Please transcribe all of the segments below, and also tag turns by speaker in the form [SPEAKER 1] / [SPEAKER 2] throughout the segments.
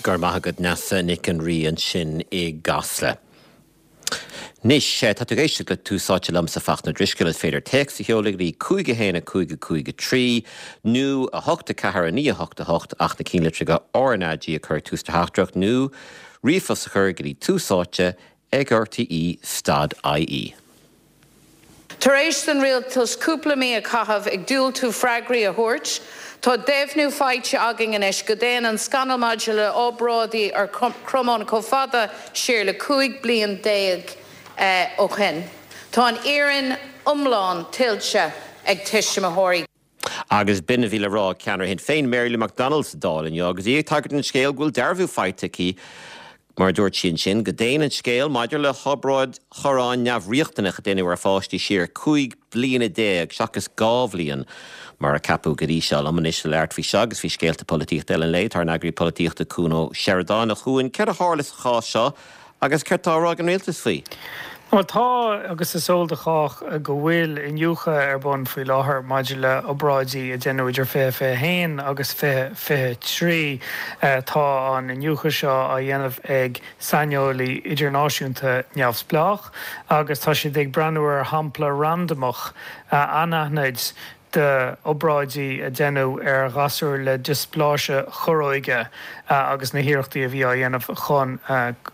[SPEAKER 1] Go raibh maith agat Neasa Nic an Rí ansin i gCasla. Anois, tá tú ag éisteacht le Tús Áite liomsa Fachtna Drisceoil. Is féidir téacs a sheoladh go dtí 5 1 5 5 3 nó 8 4 9 8 8 ach na cinnlitreacha RnaG a chur ag tús do theachtaireacht nó ríomhphost a chur go dtí Tús Áite ag RTÉ stad IE.
[SPEAKER 2] Tar éis don rialtas cúpla mí a chaitheamh ag diúltú freagraí a thabhairt, tá deimhniú faighte againn anois go dtéann an scannal maidir le obráidí ar chromáin chomh fada siar le 15 bliain ó shin. Tá an fhírinne iomlán tuillte ag tuismitheoirí.
[SPEAKER 1] Agus b'in a bhí le rá ag ceannaire Shinn Féin, Mary Lou McDonald sa Dáil inniu agus í ag tagairt don scéal go bhfuil dearbhú faighte aici, mar a dúirt sí ansin, go dtéann an scéal maidir le hobráid chorráin neamhriachtanach a deineadh ar pháistí siar 15 bliana seachas 2 bhliain mar a ceapadh go dtí seo. Liom anois le labhairt faoi seo agus faoi scéalta polaitíochta eile an lae, tá ár n-eagraí polaitíochta Cuan Ó Seireadáin. A Chuain, céard a tharla sa chás seo Agus céard tá á rá ag an rialtas faoi?
[SPEAKER 3] Bhuel, tá, agus is eol do chách go bhfuil iniúchadh ar bun faoi láthair maidir le obráidí a deineadh idir 2021 agus 2023. Tá an iniúchadh seo á dhéanamh ag saineolaí idirnáisiúnta neamhspleách agus tá siad ag breathnú ar shampla randamach anaithnid d'obráidí a deineadh ar ghasúir le diospláise corróige agus na hiarrachtaí a bhí á dhéanamh chun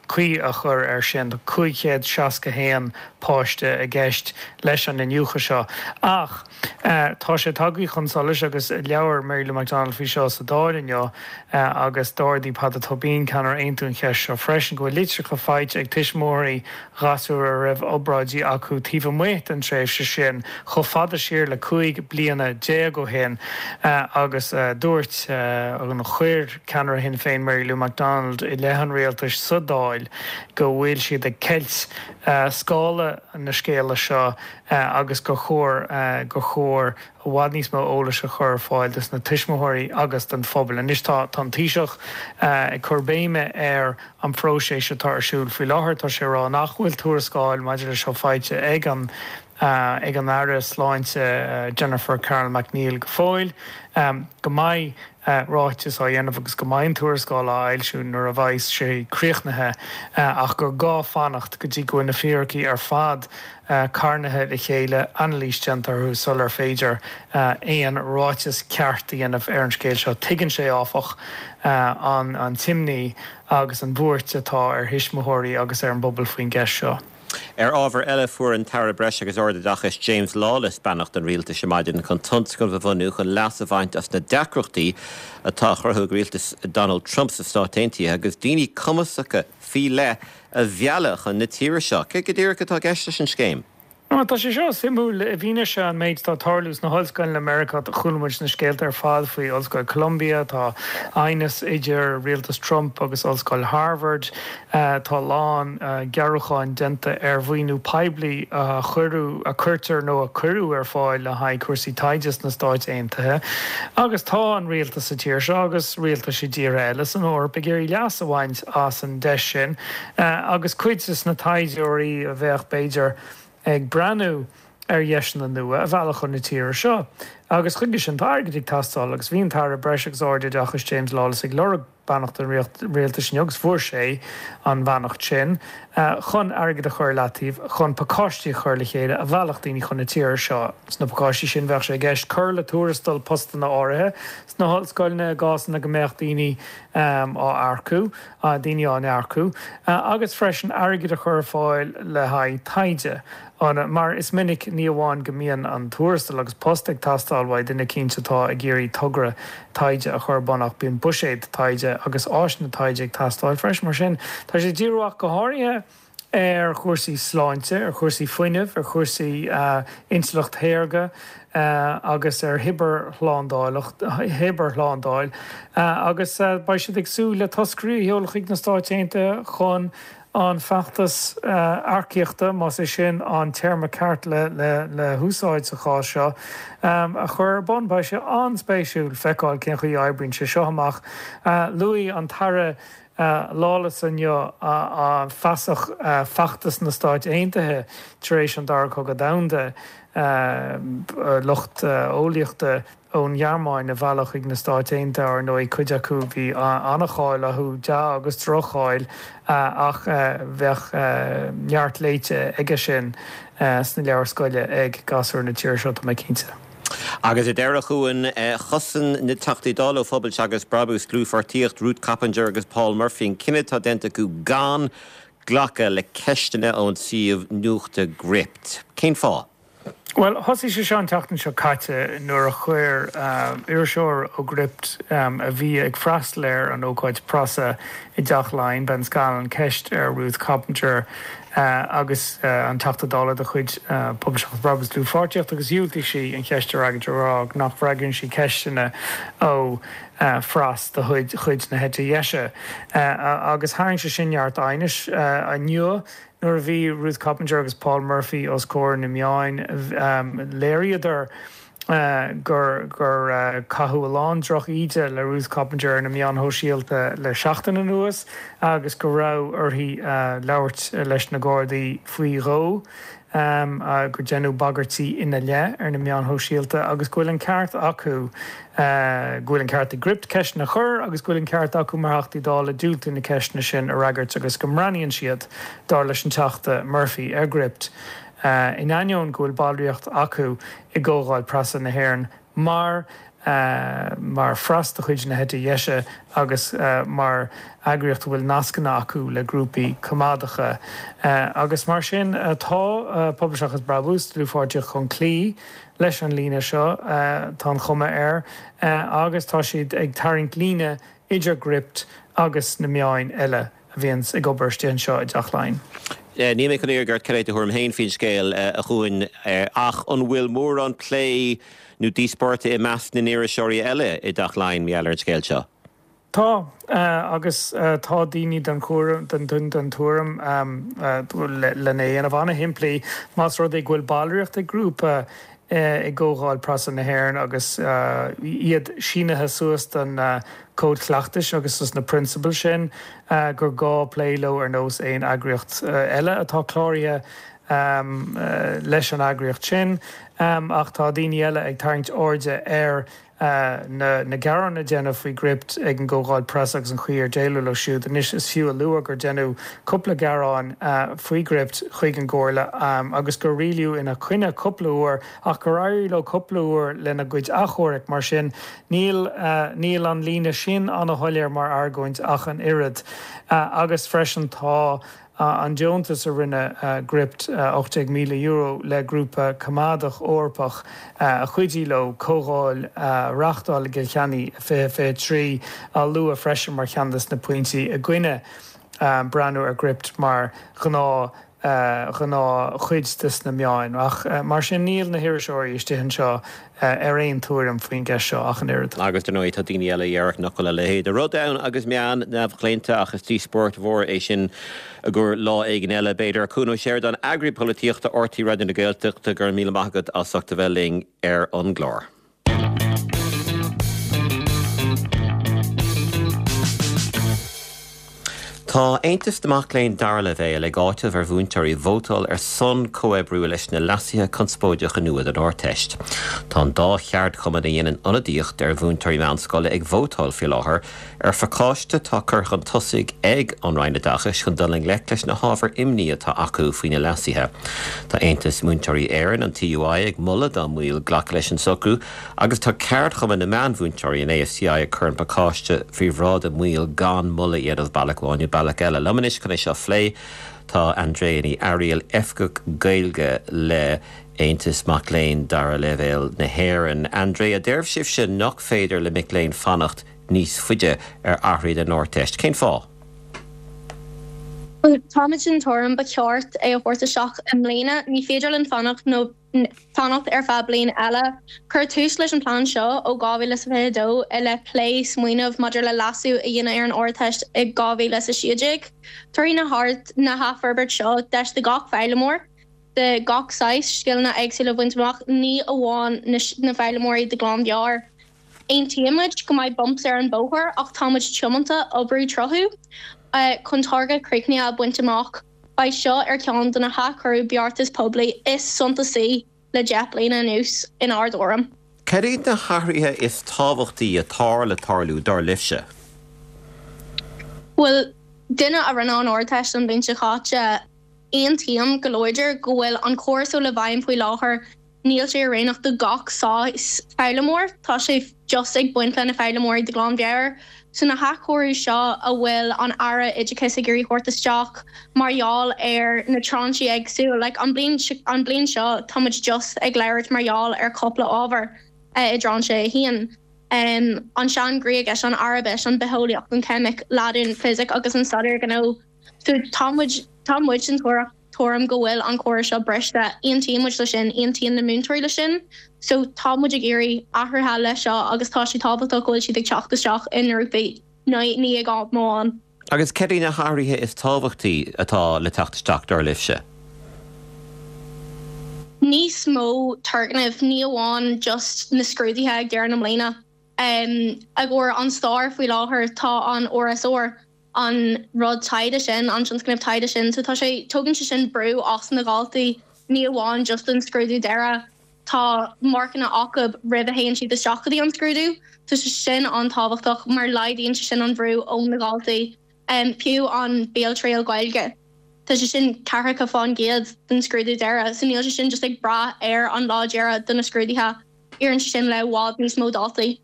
[SPEAKER 3] caoi a chur air sin. Tá 561 páiste i gceist leis an iniúchadh seo. Ach tá sé tagtha chun solais agus labhair Mary Lou McDonald faoi seo sa Dáil inniu agus d'ardaigh Peadar Tóibín, ceannaire Aontú an cheist seo freisin, go bhfuil litreacha faighte ag tuismitheoirí ghasúr a raibh obráidí acu taobh amuigh den tréimhse sin, chomh fada siar le 15 bliana ó shin agus dúirt, nó chuir, ceannaire Shinn Féin Mary Lou McDonald i leith an rialtais sa Dáil go bhfuil siad ag ceilt scála na scéala seo agus gur chóir gur chóir i bhfad níos mó eolais a chur ar fáil dos na tuismitheoirí agus don phobal. Anois tá an Taoiseach ag cur béime ar an phróiseas atá ar siúl faoi láthair. Tá sé ag rá nach bhfuil tuarascáil maidir leis seo faighte ag an ag an Aire Sláinte Jennifer Carroll MacNeill go fóill, go mbeidh ráiteas á dhéanamh agus go mbeidh an tuarascáil á fhoilsiú nuair a bheidh sé críochnaithe ach gur gá fanacht go dtí go bhfuil na fíricí ar fad carnaithe le chéile, anailís déanta orthu sular féidir aon ráiteas ceart a dhéanamh ar an scéal seo. Tuigeann sé, áfach, an t-imní agus an bhuairt atá ar thuismitheoirí agus ar an bpobal faoin gceist seo.
[SPEAKER 1] Ar ábhar eile, fuair an tAire Breis agus Ardoideachais James Lawless beannacht an Rialtais ar maidin chun tionscnamh a bhunú chun leas a bhaint as na deacrachtaí atá á chruthú ag rialtas Donald Trump sna Stáit Aontaithe agus daoine cumasacha faoi leith a mhealladh chun na tíre seo. Céard go díreach atá i gceist leis an scéim?
[SPEAKER 3] Bhuel, tá sé seo suimiúil i bhfianaise an méid atá ag tarlú sna hollscoileanna i Meiriceá. Chuala muid na scéalta ar fad faoi Ollscoil Columbia, tá aighneas idir rialtas Trump agus Ollscoil Harvard, tá a lán gearrúcháin déanta ar mhaoiniú poiblí a chuireadh, a cuirtear nó a cuireadh ar fáil le haghaidh cúrsaí taighde sna Stáit Aontaithe. Agus tá an rialtas sa tír seo agus rialtais i dtíortha eile san Eoraip ag iarraidh leas a bhaint as an deis sin agus cuid de na taighdeoirí a bheadh, b'fhéidir, ag breathnú ar dheiseanna nua a mhealladh chun na tíre seo. Agus chuige sin tá airgead ag teastáil agus bhí an tAire Breis agus Ardoideachais James Lawless ag lorg beannacht an rialtais inniu agus fuair sé an bheannacht sin chun airgead a chur i leataobh chun pacáistí a chur le chéile a mheallfadh daoine chun na tíre seo. Sna pacáistí sin bheadh sé i gceist cur le tuarastal postanna áirithe sna hollscoileanna i gcásanna go mbeadh daoine á earcú, daoine á n-earcú, agus freisin airgead a chur ar fáil le haghaidh taighde. Mar is minic, ní amháin go mbíonn an tuarastal agus post ag teastáil uaidh duine eicínt atá ag iarraidh togra taighde a chur ar bun ach bíonn buiséad taighde agus áiseanna taighde ag teastáil freisin. Mar sin, tá sé ag díriú ach go háirithe ar chúrsaí sláinte, ar chúrsaí fuinnimh, ar chúrsaí intleacht shaorga agus ar chibearshlándáil agus beidh siad ag súil le toscairí a sheoladh chuig na Stáit Aontaithe chun an feachtas earcaíochta, más é sin an téarma ceart le húsáid sa chás seo, a chur ar bun. Beidh sé an-spéisiúil feiceáil cén chaoi a oibríonn sé seo amach. Luaigh an tAire. Lawless inniu feasach feachtas na Stáit Aontaithe tar éis an Dara Cogadh Domhanda, lucht eolaíochta ón nGearmáin a mhealladh chuig na Stáit Aontaithe, ar ndóigh, cuid acu bhí an-cháil orthu, dea agus droch-cháil, ach bheadh neart léite aige sin sna leabhair scoile ag gasúir na tíre seo, tá mé cinnte.
[SPEAKER 1] Agus ar deireadh, a Chuain, chosain na Teachtaí Dála ó Phobal Seachas Brabús, Dlúthpháirtíocht, Ruth Coppinger agus Paul Murphy an cinneadh atá déanta acu gan glacadh le ceisteanna ón suíomh nuachta Gript. Cén fáth?
[SPEAKER 3] Bhuel, thosaigh sé seo an tseachtain seo caite nuair a chuir iriseoir ó Gript a bhí ag freastal ar an ócáid preasa i dTeach Laighean, Ben Scanlon, ceist ar Ruth Coppinger agus an Teachta Dála de chuid Pobal Seachas Brabús Dlúthpháirtíocht agus dhiúltaigh sí an cheist a fhreagairt ag rá nach bhfreagraíonn sí ceisteanna ó phreas de chuid na heite deise. Agus tharraing sé sin neart aighnis. Inniu nuair a bhí Ruth Coppinger agus Paul Murphy os comhair na meáin léiríodar gur gur caitheadh a lán droch-íde le Ruth Coppinger ar na meáin shóisialta le seachtain anuas agus go raibh uirthi labhairt leis na Gardaí faoi dhó, gur deineadh bagairtí ina leith ar na meáin shóisialta agus go bhfuil an ceart acu, go bhfuil an ceart ag Gript ceisteanna a chur agus go bhfuil an ceart acu mar Theachtaí Dála diúltú na ceisteanna sin a fhreagairt agus go mbreathnaíonn siad, dar leis an Teachta Murphy, ar Gript. In ainneoin go bhfuil ballraíocht acu i gComhdháil Preasa na hÉireann mar mar phreas de chuid na heite deise agus mar eagraíocht a bhfuil nascanna acu le grúpaí coimeádacha agus mar sin tá Pobal Seachas Brabús, Dlúthpháirtíocht chun cloí leis an líne seo, tá an chuma air, agus tá siad ag tarraingt líne idir Gript agus na meáin eile. a bhíonns ag obair istigh anseo i dTeach Laighean.
[SPEAKER 1] Níl mé chun iarraidh ort cad é do thuairim féin faoin scéal, a Chuain, ach an bhfuil mórán plé nó díospóireachta i measc na n-iriseoirí eile i dTeach Laighean mar gheall ar an scéal seo?
[SPEAKER 3] Tá, agus tá daoine den den tuairim, lena dhéanamh an-shimplí, más rud é go bhfuil ballraíocht ag grúpa i gComhdháil Preasa na hÉireann agus iad sínithe suas don Cód Cleachtais agus dos na prionsabail sin gur gá plé leo ar nós aon eagraíocht eile atá cláraithe leis an eagraíocht sin. Ach tá daoine eile ag tarraingt airde ar na gearáin a deineadh faoi Gript ag an gComhdháil Preasa agus an chaoi ar déileadh leo siúd. Anois is fiú a lua gur deineadh cúpla gearán faoi Gript chuig an gComhairle agus gur rialaíodh ina coinne cúpla uair ach gur éirigh leo cúpla uair lena gcuid achomhairc. Mar sin níl níl an líne sin ana-shoiléir mar argóint ach an oiread. Agus freisin tá An deontas a rinne Gript, €18,000, le grúpa coimeádach Eorpach a chuidigh leo comhdháil a reáchtáil i gCill Chainnigh i 2023, á lua freisin mar cheann de na pointí i gcoinne breathnú ar Gript mar ghnáth ghnáthchuid de sna meáin. Ach mar sin níl na hiriseoirí istigh anseo ar aon tuairim faoin gceist seo ach an oiread.
[SPEAKER 1] Agus dar ndóigh tá daoine eile a dhéarfadh nach bhfuil a leithéid de rud ann agus meán neamhchlaonta ach is díospóireacht mhór é sin i gcomhair lá éigin eile b'fhéidir. Cuan Ó Seireadáin, Eagraí Polaitíochta RTÉ Raidió na Gaeltachta, go raibh míle maith agat as ucht a bheith linn ar an gclár. Tá Aontas na Mac Léinn Dara Leibhéal ag áiteamh ar mhúinteoirí vótáil ar son comhoibriú leis na leasuithe conspóideacha nua don Ardteist. Tá an dá cheardchumann a dhéanann ionadaíocht ar mhúinteoirí meánscoile ag vótáil faoi láthair ar phacáiste atá curtha chun tosaigh ag an Roinn Oideachais chun dul i ngleic leis na hábhair imní atá acu faoi na leasuithe. Tá Aontas Múinteoirí Éireann, an TUI, ag moladh dá mbaill glacadh leis an socrú Agus tá ceardchumann na meánmhúinteoirí, an ASTI, ag cur an pacáiste faoi bhráid a mbaill gan moladh a dhéanamh bealach amháin nó bealach eile. Liom anois chun é seo a phlé tá Andrea Ní Fhearaíl, Oifigeach Gaeilge le Aontas Mac Léinn Dara Leibhéal na hÉireann. Andrea, deir sibhse nach féidir le mic léinn fanacht níos faide ar athruithe don Ardteist. Cén fáth?
[SPEAKER 4] Bhuel, táimid den tuairim ba cheart é a thabhairt isteach i mbliana. Ní féidir linn fanacht nó. fanacht ar feadh bliain eile. Cuireadh tús leis an bplean seo ó 2022 i leith plé smaoineamh maidir le leasú a dhéanamh ar an Ardteist i 2016. Tabharfaidh na hathfhorbairt seo deis do gach foghlaimeoir de gach saghas scileanna éagsúla a bhaint amach, ní amháin na foghlaimeoirí de ghlanmheabhair. Aontaímid go mbeidh bumps ar an bóthar ach tá muid tiomanta oibriú tríothu chun target críochnaithe a bhaint amach. Beidh seo ar cheann de na hathchóiriú beartas poiblí is suntasaí le 10 bliana anuas, inár dtuairim.
[SPEAKER 1] Cad iad na hathruithe is tábhachtaí atá le tarlú, dar libhse?
[SPEAKER 4] Bhuel, duine a rinne an Ardteist an bhliain seo caite, aontaím go láidir go bhfuil an córas atá i bhfeidhm faoi láthair, níl sé oiriúnach do gach saghas foghlaimeoir, tá sé just ag baint le na foghlaimeoirí de ghlanmheabhair. So na hathchóiriú seo a bhfuil an Aire Oideachais ag iarraidh thabhairt isteach mar gheall ar na tráinsí éagsúil, like an bliain an bliain seo tá muid just ag labhairt mar gheall ar cúpla ábhar i dtráinse a haon, an sean-Ghréigis, an Araibis, an Bitheolaíocht, an Ceimic, Laidin, Fisic agus an Staidéar Gnó. So tá muid tá muid den tuairim go bhfuil an córas seo briste. Aontaíonn muid le sin, aontaíonn na múinteoirí le sin. So tá muid ag iarraidh athruithe le seo agus tá sé tábhachtach go bhfuil siad ag teacht isteach i ngrúpaí, ní ag am amháin.
[SPEAKER 1] Agus cad iad na hathruithe is tábhachtaí atá le teacht isteach, dar libhse?
[SPEAKER 4] Níos mó turgnaimh, ní amháin just na scrúduithe ag deireadh na mbliana. I gcomhair an stair faoi láthair tá an RSR. an rud taighde sin, an tionscnamh taighde sin. So tá sé, tógann sé sin brú as na dhaltaí, ní amháin just an scrúdú deireadh, tá marcanna acu roimh a théann siad isteach go dtí an scrúdú. Tá sé sin an-tábhachtach mar laghdaíonn sé sin an bhrú ó na dhaltaí. Fiú an béaltriail Gaeilge, tá sé sin ceathracha fán gcéad den scrúdú deireadh, so níl sé sin just ag brath ar an lá deireadh do na scrúduithe, oireann sé sin le i bhfad níos mó daltaí.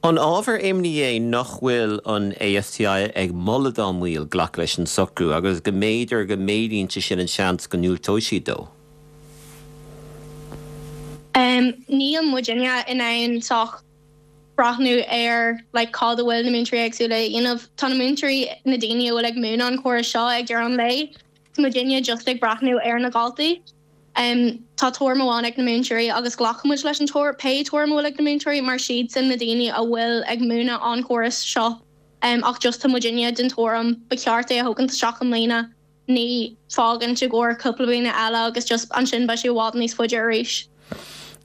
[SPEAKER 1] An ábhar imní é nach bhfuil an ASTI ag moladh dá mbaill glacadh leis an socrú agus go mb'fhéidir go méadaíonn sé sin an seans go ndiúltóidh siad dó?
[SPEAKER 4] Níl muidinne in ann sách breathnú ar like cad a bhfuil na múinteoirí éagsúla a dhéanamh. Tá na múinteoirí, na daoine a bhfuil ag múineadh an chórais seo ag deireadh an lae, tá muidinne just ag breathnú ar na dhaltaí. Tá tuairim amháin ag na múinteoirí agus glacaimid leis an tuairim, pé tuairim a bhfuil ag na múinteoirí mar siadsan na daoine a bhfuil ag múineadh an chóras seo ach just tá muidinne den tuairim ba cheart é a thógaint isteach i mbliana, ní fágaint i gcomhair cúpla bliana eile agus just ansin beidh sé i bhfad níos faide arís.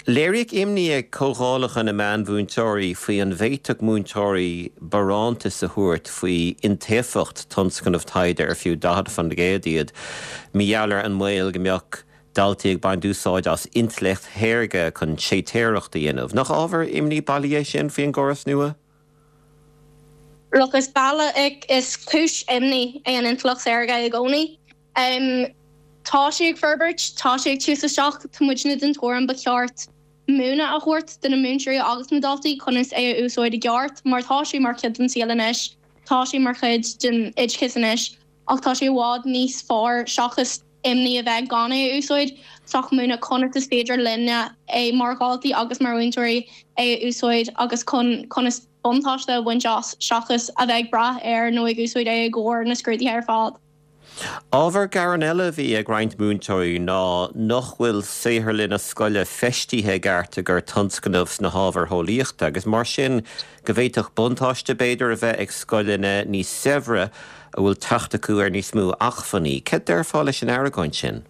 [SPEAKER 1] Léiríodh imní ag comhdhálacha na meánmhúinteoirí faoi an bhféadfadh múinteoirí barántas a thabhairt faoi iontaofacht tionscnamh taighde ar fiú 40% iad, mar gheall ar an mbaol go mbeadh daltaí ag baint úsáid as intleacht shaorga chun séitéireacht a dhéanamh. Nach ábhar imní bailí é sin faoin gcóras nua?
[SPEAKER 4] Look, is bealach, is cúis imní é an intleacht saorga i gcónaí. Tá sé ag forbairt, tá sé ag tús isteach, tá muidne den tuairim ba cheart múineadh a thabhairt do na múinteoirí agus na daltaí conas é a úsáid i gceart mar tá sé mar chuid den saol anois, tá sé mar chuid den oideachas anois ach tá sé i bhfad níos fearr seachas imní a bheith gan é a úsáid, sách múineadh conas is féidir linne é mar dhaltaí agus mar mhúinteoirí é a úsáid agus chun conas buntáiste a bhaint as seachas a bheith ag brath air nó ag úsáid é i gcomhair na scrúduithe ar fad.
[SPEAKER 1] Ábhar gearáin eile a bhí ag roinnt múinteoirí ná nach bhfuil saotharlanna scoile feistithe i gceart i gcomhair tionscnamh sna hábhair eolaíochta agus mar sin go bhféadfadh buntáiste b'fhéidir a bheith ag scoileanna níos saibhre a bhfuil teacht acu ar níos mó acmhainní. Cad déarfá leis an argóint sin?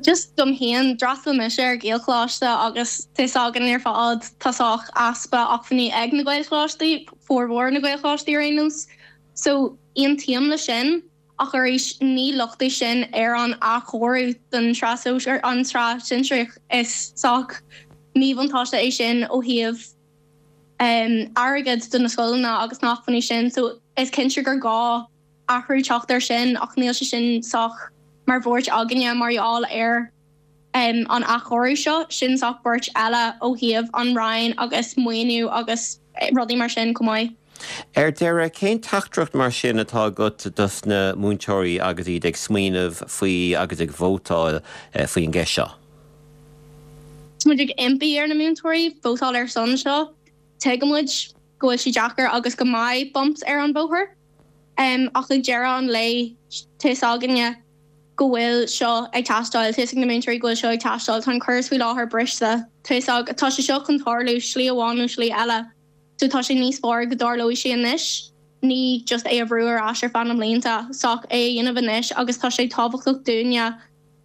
[SPEAKER 4] Just dom féin, d'fhreastail mise ar Ghaelcholáiste agus tá 'fhios againn ar fad tá sách easpa acmhainní ag na Gaelcholáistí, formhór na Gaelcholáistí ar aon nós. So, aontaím le sin, ach arís, ní locht é sin ar an athchóiriú don tsraith sóisear, an tsraith sinsearach. Is sách míbhuntáiste é sin ó thaobh airgid do na scoileanna agus na hacmhainní sin. So, is cinnte gur gá athrú teacht air sin, ach níl sé sin sách mar bhuairt againne mar gheall ar an athchóiriú seo, sin sách buairt eile ó thaobh an Roinn agus maoiniú agus rudaí mar sin chomh maith.
[SPEAKER 1] Ar deireadh, cén teachtaireacht mar sin atá agat dos na múinteoirí agus iad ag smaoineamh faoi agus ag vótáil faoin gceist seo?
[SPEAKER 4] Tá muid ag impí ar na múinteoirí vótáil ar son seo. Tuigimid go bhfuil sé deacair agus go mbeidh bumps ar an bhóthar. Ach ag deireadh an lae, tá 'fhios againne go bhfuil seo ag teastáil, tá 'fhios ag na múinteoirí go bhfuil seo ag teastáil, tá an córas faoi láthair briste, tá 'fhios ag, tá sé seo chun tarlú, slí amháin nó slí eile, so tá sé níos fearr go dtarlóidh sé anois, ní just é a bhrú ar ais ar feadh na mblianta, sách é a dhéanamh anois agus tá sé tábhachtach dúinne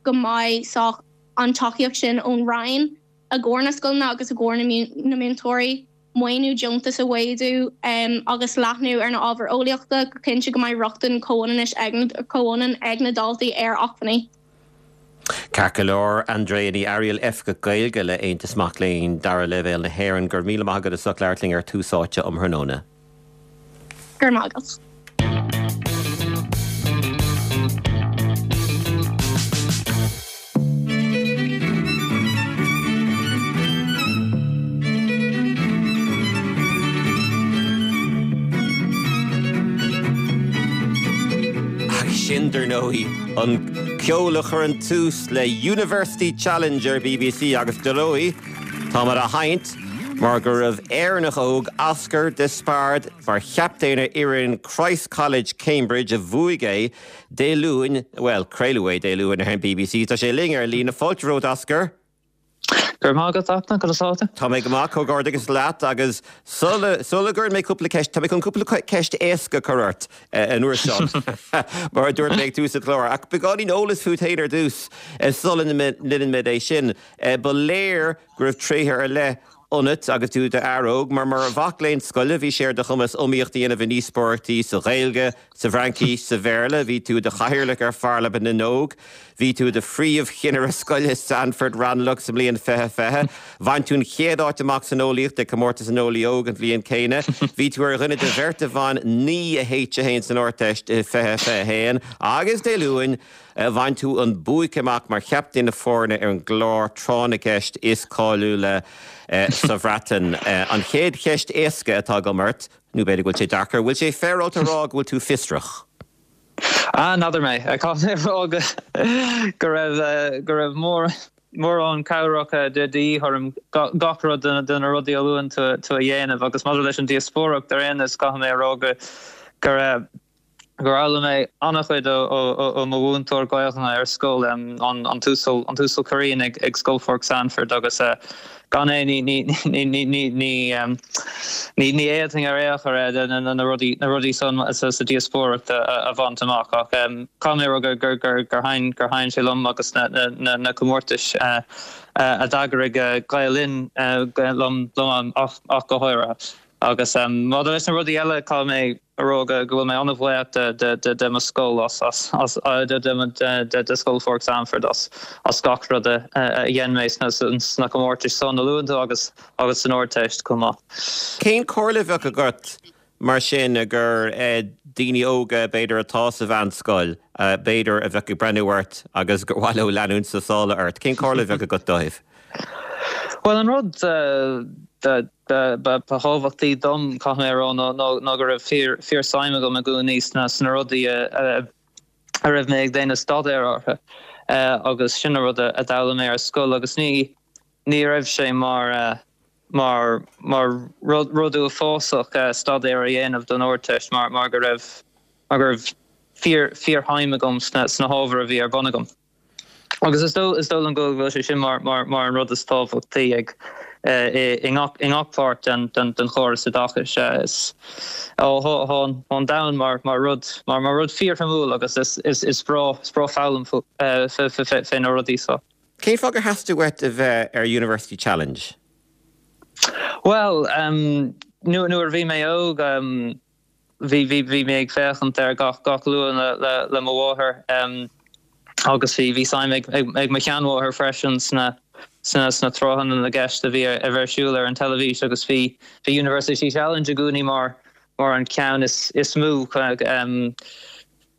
[SPEAKER 4] go mbeidh sách an tacaíocht sin ón Roinn. i gcomhair na scoileanna agus i gcomhair na múinteoirí, maoiniú deontas a mhéadú agus leathnú ar na ábhair eolaíochta go cinnte go mbeidh rochtain chomhionann ag na daltaí ar acmhainní.
[SPEAKER 1] Ceart go leor, Andrea Ní Fhearaíl, Oifigeach Gaeilge le Aontas Mac Léinn Dara Leibhéal na hÉireann, go raibh míle maith agat as ucht labhairt linn ar Tús Áite um thráthnóna.
[SPEAKER 4] Go raibh maith agat.
[SPEAKER 1] Agus sin, dar ndóigh, an ceol a chuireann tús le University Challenge ar BBC agus, dar ndóigh, táimid á sheinnt mar go raibh Éireannach óg, Oscar Despard, mar chaptaen ar fhoireann Christ College, Cambridge, a bhuaigh é Dé Luain, bhuel, craoladh é Dé Luain ar an BBC. Tá sé linn ar líne. Fáilte romhat, Oscar.
[SPEAKER 5] Go raibh maith agat, Fhachtna. Conas tá tú?
[SPEAKER 1] Tá mé go maith, comhghairdeachas leat agus sula, sula gcuireann mé cúpla ceist, tá mé chun cúpla ceist éasca a chur ort an uair seo, mar a dúirt mé ag tús an chláir. Ach beagáinín eolais fút féin ar dtús, sula ndéanann muid é sin. Ba léir go raibh tréithe ar leith ionat agus tú i d'fhear óg, mar mar mhac léinn scoile bhí sé ar do chumas iomaíocht a dhéanamh i ndíospóireachtaí sa Ghaeilge, sa bhFraincis, sa Bhéarla, bhí tú i do chathaoirleach ar Pharlaimint na nÓg, bhí tú i do phríomhchinnire scoile Sandford Ranelagh sa mbliain 2020, bhain tú an chéad áit amach san eolaíocht ag Comórtas an Eolaí Óg an bhliain céanna, bhí tú ar dhuine de bheirt a bhain 9 H1 san Ardteist i 2021 agus Dé Luain, Bhain tú an buaic amach mar chaptaen na foirne ar an gclár Tráth na gCeist is cáiliúla sa Bhreatain. An chéad cheist éasca atá agam ort, nó b'fhéidir go bhfuil sé deacair, bhfuil sé féaráilte a rá go bhfuil tú fiosrach?
[SPEAKER 5] Ah, n'fheadar mé. Caithfidh mé a rá go raibh, go raibh mórán cabhrach de dhíth orm gach rud de na rudaí a luann tú a dhéanamh agus maidir leis an díospóireacht ar aon nós caithfidh mé a rá go raibh gur fhoghlaim mé an-chuid ó mo mhúinteoir Gaelainne ar scoil, an tUasal Curran ag Scoil Pháirc Sandford agus gan é ní ní fhéadfainn ar aon chor na rudaí na rudaí san sa díospóireacht a bhaint amach ach caithfidh mé a rá gur gur thaitin sé liom agus na comórtais a d'eagraigh Gael Linn liom ach go háirithe. Agus maidir leis na rudaí eile, caithfidh mé a rá go bhfuil mé an-bhuíoch de mo scoil as, de Scoil Pháirc Sandford as gach rud a dhein mé sna comórtais san a luann tú agus agus san Ardteist chomh maith.
[SPEAKER 1] Cén comhairle a bheadh agat mar sin do daoine óga b'fhéidir atá sa mheánscoil, b'fhéidir a bheadh ag breathnú ort agus gur mhaith leo leanúint sna sála ort? Cén comhairle a bheadh agat dóibh?
[SPEAKER 5] Bhuel an rud ba thábhachtaí dom, caithfidh mé a rá, ná go raibh fíor-suim agam i gcónaí sna rudaí a raibh mé ag déanamh staidéir orthu agus sin an rud a d'fhoghlaim mé ar scoil agus ní ní raibh sé mar mar mar rud uafásach staidéar a dhéanamh don Ardteist mar mar go raibh mar go raibh fíor fíorshuim agam sna hábhair a bhí ar bun agam. Agus is dóigh is dóigh liom go bhfuil sé sin mar mar mar an rud is tábhachtaí ag i ngach i ngach páirt den den den chóras oideachais. Is tá an domhan mar mar rud mar mar rud fíorshuimiúil agus is is is breá is breá foghlaim fé na rudaí seo.
[SPEAKER 1] Cén fáth gur theastaigh uait a bheith ar University Challenge?
[SPEAKER 5] Bhuel, nuair nuair a bhí mé óg, Bhí, bhí, bhí mé ag féachaint air gach, gach Luan le, le, le mo mháthair agus bhí, bhí suim ag, ag, ag mo sheanmháthair freisin sna, sna, sna tráthanna na gceist a bhí ar, ar siúl ar an teilifís agus bhí, bhí University Challenge i gcónaí mar, mar an ceann is, is mó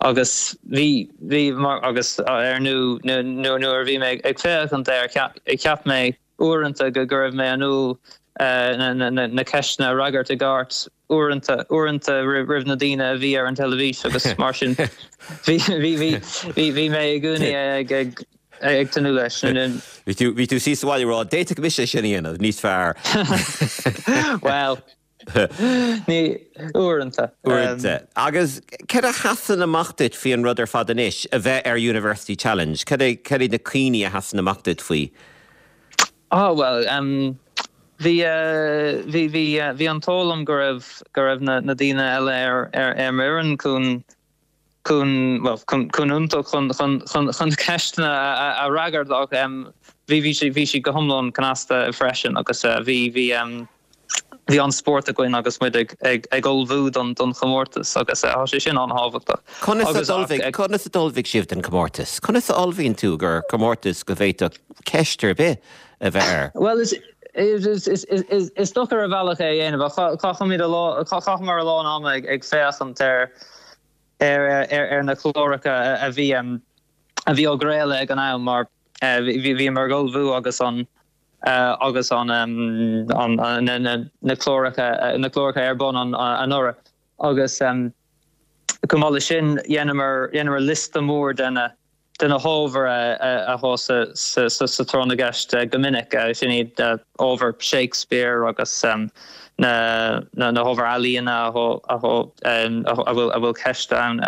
[SPEAKER 5] agus bhí, bhí mar, agus ar ndú nuair, nuair a bhí mé ag féachaint air cheap, cheap mé uaireanta go, go raibh mé in ann na ceisteanna a fhreagairt i gceart uaireanta, uaireanta roimh na daoine a bhí ar an teilifís agus mar sin bhí, bhí, bhí, bhí, bhí mé i gcónaí ag, ag, ag tnúth leis.
[SPEAKER 1] Bhí tú, bhí tú síos sa bhaile ag rá, d'fhéadfadh mise sin a dhéanamh níos fearr.
[SPEAKER 5] Bhuel, ní, uaireanta.
[SPEAKER 1] Uaireanta. Agus céard a sheasann amach duit faoi an rud ar fad anois, a bheith ar University Challenge? Cad é, cad iad na cuimhní a sheasann amach duit faoi?
[SPEAKER 5] Ah bhuel, bhí, bhí, bhí, bhí an t-ádh liom go raibh, go raibh na, na daoine eile ar, ar, ar m'fhoireann chun, chun, bhuel, chun, chun iontach chun, chun, chun, chun ceisteanna a, a, a fhreagairt ach. Bhí bhí bhí siad go hiomlán cneasta freisin agus bhí bhí bhí an-spórt againn agus muid ag ag ag ullmhú don don chomórtas agus tá sé sin an-thábhachtach.
[SPEAKER 1] Conas a d'ullmhaigh conas a d'ullmhaigh sibh don chomórtas? Conas a ullmhaíonn tú do chomórtas go bhféadfadh ceist ar bith a bheith air?
[SPEAKER 5] Bhuel is is is is is deacair ar bhealach é a dhéanamh ach chaithimid a lá chaitheamar a lán ama ag ag féachaint ar ar ar ar na cláracha a bhí a bhí á gcraoladh ag an am mar bhíomar ag ullmhú agus an agus an na cláracha na cláracha ar bun anuraidh agus chomh maith leis sin dhéanamar dhéanamar liosta mór de na de na hábhair atá sa sa sa tráth na gceist go minic sin iad ábhair Shakespeare agus na na hábhair ealaíona atá a bhfuil a bhfuil ceist ann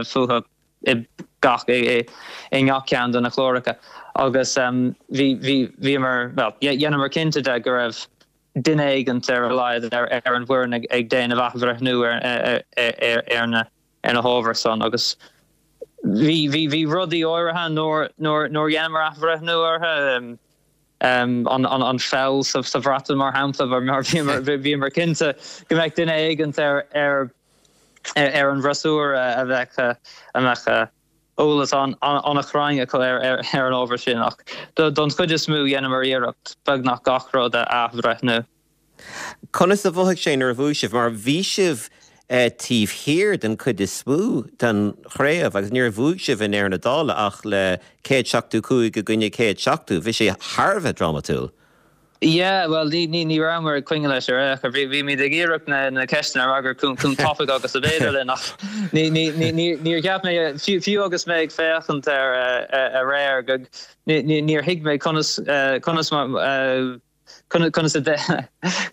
[SPEAKER 5] fúthu. i gach i ngach ceann de na cláracha agus bhí bhí bhíomar bhuel dheineamar cinnte de go raibh duine éigint ar a laghad ar ar an bhfoireann ag ag déanamh athbhreithniú ar ar ar na ar na hábhair san agus bhí bhí bhí rudaí áirithe nár nár nár dheineamar athbhreithniú orthu an an an pheil sa sa Bhreatain mar shampla mar bhíomar bhíomar cinnte go mbeadh duine éigint ar ar ar an bhfreasúra a bheadh a mbeadh eolas an-chruinn acu ar an ábhar sin ach don chuid is mó dheineamar iarracht beagnach gach rud a athbhreithniú.
[SPEAKER 1] Conas a mhothaigh sé nuair a bhuaigh sibh? Mar bhí sibh taobh thiar den chuid is mó den chraobh agus níor bhuaigh sibh i ndeireadh na dála ach le 175 i gcoinne 170. Bhí sé thar a bheith drámatúil.
[SPEAKER 5] Yeah, bhuel, ní, ní, ní rabhamar ag coinne leis ar aon chor. Bhí, bhímid ag iarraidh na, na ceisteanna a fhreagairt chomh, chomh tapaidh agus ab fhéidir linn ach ní, ní, ní, ní, níor cheap mé, fiú, fiú agus mé ag féachaint air aréir, go, ní, ní, níor thuig mé conas, conas mar, conas a,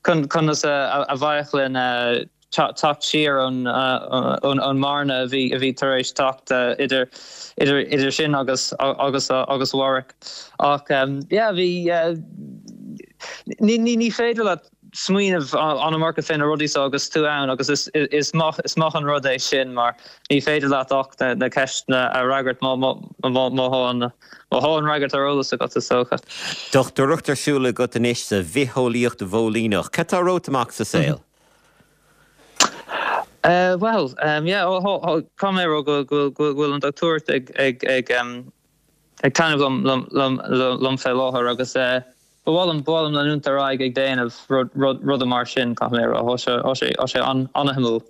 [SPEAKER 5] conas a, a bheadh linn teacht siar ón ón mbearna a bhí a bhí tar éis teacht idir idir idir sinn agus agus agus Warwick. Ach yeah bhí ní ní ní féidir leat smaoineamh an iomarca fé na rudaí seo agus tú ann agus is is maith is maith an rud é sin mar ní féidir leat ach na na ceisteanna a fhreagairt má má má má thá an má thá an fhreagairt ar eolas agat is dócha.
[SPEAKER 1] Dochtúireacht ar siúl agat anois sa bhitheolaíocht mhóilíneach. Cad tá romhat amach sa saol?
[SPEAKER 5] Bhuel, yeah, caithfidh mé a rá go bhfuil an dochtúireacht ag taitneamh liom fé láthair agus ba mhaith liom, ba mhaith liom leanúint ar aghaidh ag déanamh ruda mar sin, caithfidh mé a rá. Tá sé an-shuimiúil.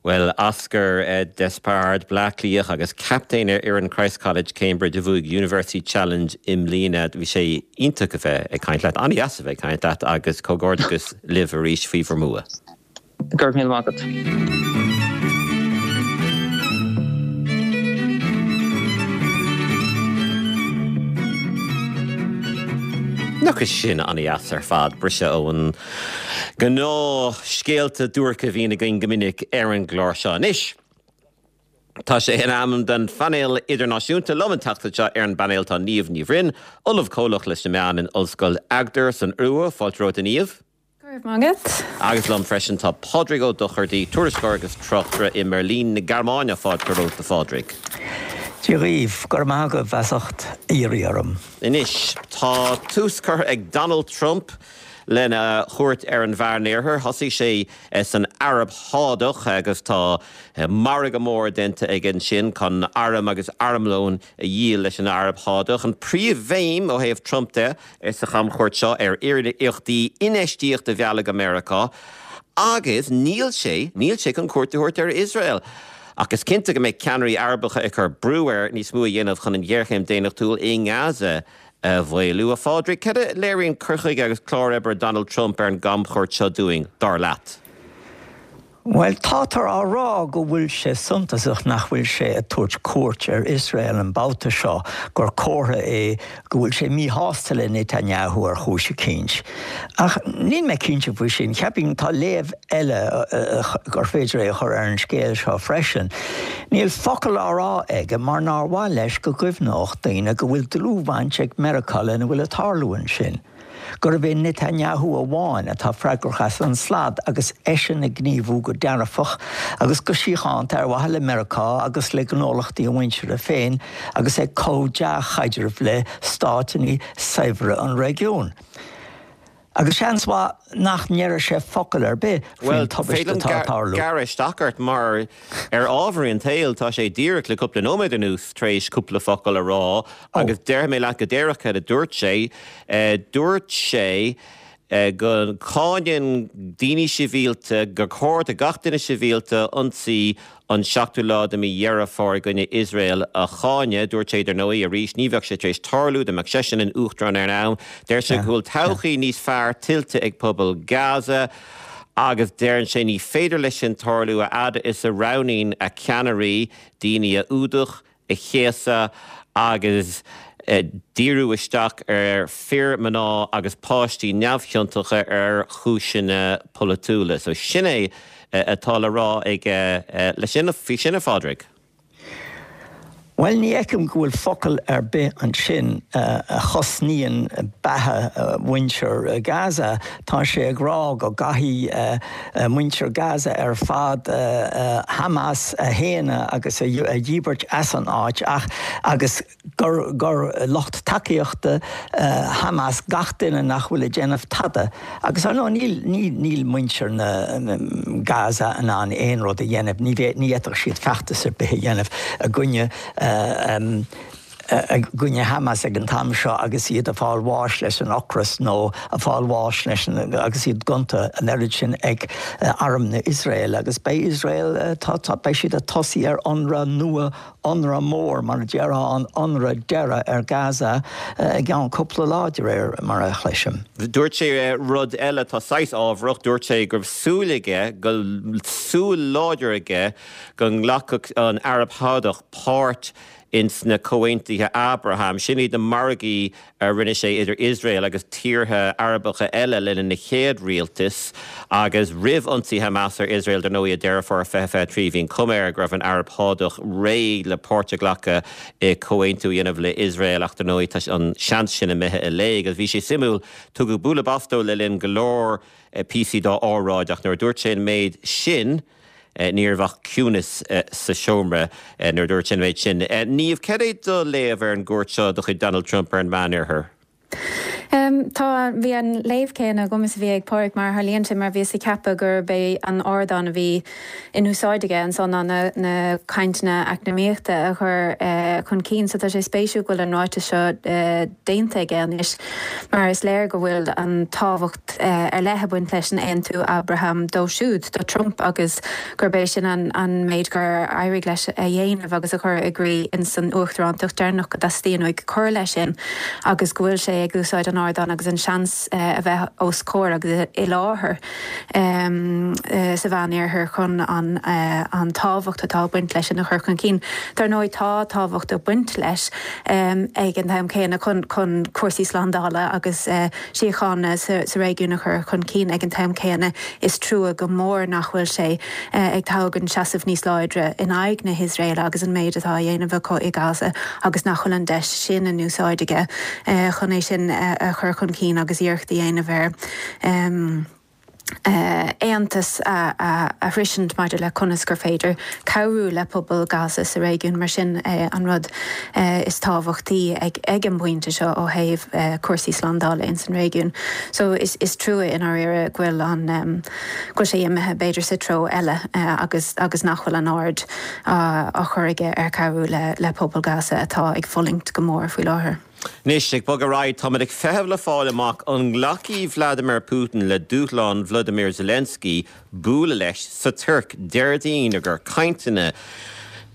[SPEAKER 1] Bhuel, Oscar Despard, Bleá Cliathach agus captaen ar fhoireann Christ College, Cambridge, a bhuaigh University Challenge i mbliana. Bhí sé iontach a bheith ag caint leat, an-dheas a bheith ag caint leat agus comhghairdeachas libh arís faoi bhur mbua.
[SPEAKER 5] Go raibh míle maith agat.
[SPEAKER 1] Nach é sin an-dheas ar fad, briseadh ón ngnáthscéalta duairce a bhíonn againn go minic ar an gclár seo. Anois, tá sé in am don phainéal idirnáisiúnta. Liom an tseachtain seo ar an bpainéal tá Niamh Ní Bhroin, Ollamh Comhlach leis na Meáin in Ollscoil Agder san Iorua. Fáilte romhat, a Niamh.
[SPEAKER 6] Go raibh maith agat.
[SPEAKER 1] Agus liom freisin tá Pádraig Ó Dochartaigh, tuairisceoir agus tráchtaire i mBeirlín na Gearmáine. Fáilte romhat, a Phádraig.
[SPEAKER 7] Dia dhaoibh, go raibh maith agaibh as ucht iarraidh orm.
[SPEAKER 1] Anois, tá tús curtha ag Donald Trump lena chuairt ar an Mheánoirthear. Thosaigh sé san Araib Shádach agus tá margadh mór déanta aige ansin chun airm agus armlón a dhíol leis an Araib Shádach. An príomhbhéim ó thaobh Trump de sa chamchuairt seo ar iarrachtaí infheistíocht a mhealladh go Meiriceá agus níl sé, níl sé chun cuairt a thabhairt ar Iosrael. Ach is cinnte go mbeidh ceannairí Arabacha ag cur brú air níos mó a dhéanamh chun an ghéarchéim daonnachtúil i nGaza a mhaolú. A Phádraig, cad a léiríonn cur chuige agus clár oibre Donald Trump ar an gcamchuairt seo dúinn, dar leat?
[SPEAKER 7] Bhuel, táthar á rá go bhfuil sé suntasach nach bhfuil sé ag tabhairt cuairt ar Iosrael an babhta seo, gur comhartha é go bhfuil sé míshásta le Netanyahu ar chúis eicínt. Ach níl mé cinnte faoi sin. Cheapfainn tá léamh eile gur féidir é a chur ar an scéal seo freisin. Níl focal á rá aige mar nár mhaith leis go gcuimhneodh daoine go bhfuil dlúthbhaint ag Meiriceá lena bhfuil ag tarlú ansin. gurbh é Netanyahu amháin atá freagrach as an slad agus eisean ag gníomhú go dearfach agus go síochánta ar mhaithe le Meiriceá agus le gnólachtaí a mhuintire féin agus ag cothú dea-chaidrimh le stáiteanna saibhre an réigiúin. Agus seans mhaith nach ndéarfaidh sé focal ar bith faoin tubaiste atá ag tarlú.
[SPEAKER 1] Bhuel, féidir liom gearradh isteach ort mar ar ámharaí an tsaoil tá sé díreach le cúpla nóiméad anuas tar éis cúpla focal a rá agus déarfaidh mé leat go díreach cad a dúirt sé. Dúirt sé go cáineann daoine sibhialta, gur chóir do gach duine sibhialta ionsaí an seachtú lá de mhí Dheireadh Fómhair i gcoinne Iosrael a cháineadh. Dúirt sé, dar ndóigh, arís, ní bheadh sé tar éis tarlú dá mbeadh seisean ina uachtarán ar an am. Deir sé go bhfuil todhchaí níos fearr tuillte ag pobal Gaza agus deireann sé ní féidir leis sin tarlú a fhad is a roghnaíonn a ceannairí daoine a fhuadach, a chéasadh agus díriú isteach ar fir, mná agus páistí neamhchiontacha ar chúiseanna polaitiúla. So sin é atá le rá aige leis sin, faoi sin, a Phádraig.
[SPEAKER 7] Bhuel, ní fheicim go bhfuil focal ar bith ansin a chosnaíonn beatha mhuintir Gaza. Tá sé ag rá go gcaithfidh muintir Gaza ar fad Hamas a shéanadh agus a dhíbirt as an áit ach agus gur gur lucht tacaíochta Hamas gach duine nach bhfuil ag déanamh tada. Agus ar ndóigh níl níl níl muintir na Gaza in ann aon rud a dhéanamh, ní ní fhéadfadh siad feachtas ar bith a dhéanamh i gcoinne i gcoinne Hamas ag an t-am seo agus iad ag fáil bháis leis an ocras nó ag fáil bháis leis an agus iad gonta an oiread sin ag arm na Iosrael agus beidh Iosrael tá tá beidh siad ag tosaí ar ionradh nua ionradh mór mar a déarfá an ionradh deireadh ar Gaza i gceann cúpla lá de réir mar a chloisim.
[SPEAKER 1] Dúirt sé rud eile atá saghas ámharach, dúirt sé go raibh súil aige go súil láidir aige go nglacfadh an Araib Shádach páirt ins na Comhaontuithe Abraham. Sin iad na margaí a rinne sé idir Iosrael agus tíortha Arabacha eile le linn a chéad rialtais agus roimh ionsaí Hamas ar Iosrael dar ndóigh i Deireadh Fómhair 2023 bhí an chuma air go raibh an Araib Shádach réidh le páirt a ghlacadh i comhaontú a dhéanamh le Iosrael ach dar ndóigh tá an seans sin imithe i léig agus bhí sé suimiúil tugadh bualadh bos dó le linn go leor píosaí dá óráid ach nuair a dúirt sé an méid sin Ní raibh ach ciúnas sa seomra nuair a dúirt sé an méid sin. Niamh, cad é do léamh ar an gcuairt seo de chuid Donald Trump ar an Meánoirthear?
[SPEAKER 6] Tá, bhí an léamh céanna agam is a bhí ag Pádraig mar a tharlaíonn sé mar bhíos ag ceapadh gurb é an ardán a bhí in úsáid aige ansan ná na na cainteanna eacnamaíochta a chur chun cinn so tá sé spéisiúil go bhfuil an ráiteas seo déanta aige anois mar is léir go bhfuil an tábhacht ar leith ag baint leis an Aontú Abraham dó siúd, do Trump, agus gurb é sin an méid gur éirigh leis a dhéanamh agus a chur i gcrích ins an uachtarántacht deireanach, go dteastaíonn uaidh cur leis sin agus go bhfuil sé ag úsáid an ardáin agus an seans a bheith os comhair agus i láthair sa Mheánoirthear chun an tábhacht atá ag baint leis sin a chur chun cinn. Dar ndóigh tá tábhacht ag baint leis ag an t-am céanna chun cúrsaí slándála agus síochána sa réigiún a chur chun cinn ag an t-am céanna. Is trua go mór nach bhfuil sé ag tógaint seasamh níos láidre in aghaidh na hIosraeile agus an méid atá á dhéanamh acu i Gaza agus nach bhfuil an deis sin in úsáid aige chun é sin a chur chun cinn agus iarracht a dhéanamh ar aontas a shroisint maidir le conas gur féidir cabhrú le pobal Gaza sa réigiún, mar sin é an rud is tábhachtaí ag an bpointe seo ó thaobh cúrsaí slándála ins an réigiún. So is trua i ndáiríre go bhfuil an, go bhfuil sé imithe b'fhéidir sa treo eile agus agus nach bhfuil an aird á chur aige ar chabhrú le pobal Gaza atá ag fulaingt go mór faoi láthair.
[SPEAKER 1] Anois, ag bogadh ar aghaidh, táimid ag feitheamh le fáil amach an nglacfaidh Vladimir Putin le dúshlán Vladimir Zelensky bualadh leis sa Tuirc Déardaoin i gcomhair cainteanna.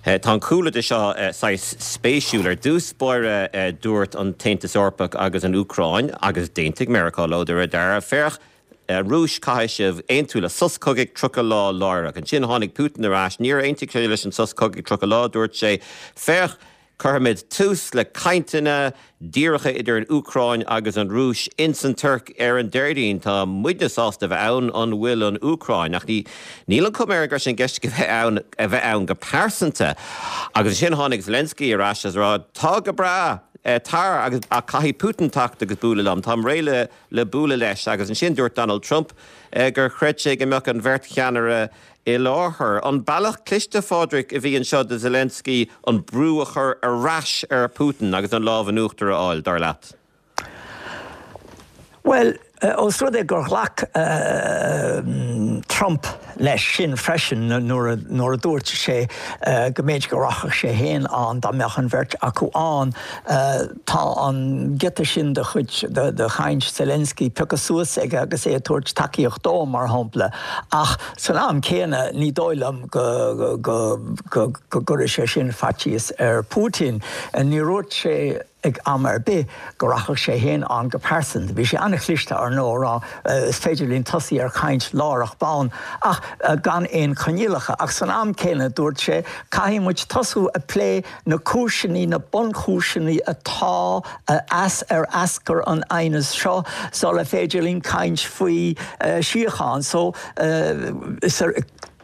[SPEAKER 1] Tá an cúlra de seo saghas spéisiúil. Ar dtús báire dúirt an tAontas Eorpach agus an Úcráin, agus d'aontaigh Meiriceá leo de réir dealraimh, féach, Rúis, caithfidh sibh aontú le sos cogaidh 30 lá láithreach. Ansin tháinig Putin ar ais, níor aontaigh sé leis an sos cogaidh 30 lá, dúirt sé, féach, Cuirfimid tús le cainteanna díreacha idir an Úcráin agus an Rúis ins an Tuirc ar an Déardaoin. Tá muidne sásta a bheith ann, an bhfuil an Úcráin? Ach ní níl an chuma air go raibh sé i gceist aige bheith ann a bheith ann go pearsanta. Agus ansin tháinig Zelensky ar ais agus a rá, Tá go breá! Tar, agus ach caithfidh Putin teacht agus bualadh liom. Táim réidh le le bualadh leis. Agus ansin dúirt Donald Trump gur chreid sé go mbeadh an bheirt cheannaire i láthair. An bealach cliste, a Phádraig, a bhí anseo do Zelensky an brú a chur ar ais ar Putin agus an lámh in uachtar a fháil, dar leat?
[SPEAKER 7] Bhuel, ós rud é gur ghlac Trump leis sin freisin nuair a dúirt sé go mb'fhéidir go rachadh sé féin ann dá mbeadh an bheirt acu ann, tá an giota sin de chuid de chaint Zelensky pioctha suas aige agus é ag tabhairt tacaíocht dó, mar shampla. Ach san am céanna, ní dóigh liom go gcuirfidh sé sin faitíos ar Putin. Níor dhúirt sé. ag am ar bith go rachadh sé féin ann go pearsanta. Bhí sé an-chliste, ar ndóigh, a rá is féidir linn tosaí ar chaint láithreach bonn ach gan aon choinníollacha. Ach san am céanna, dúirt sé, caithfidh muid tosú ag plé na cúiseanna, na bunchúiseanna atá as ar eascair an aighneas seo sula féidir linn caint faoi síocháin. So, is ar.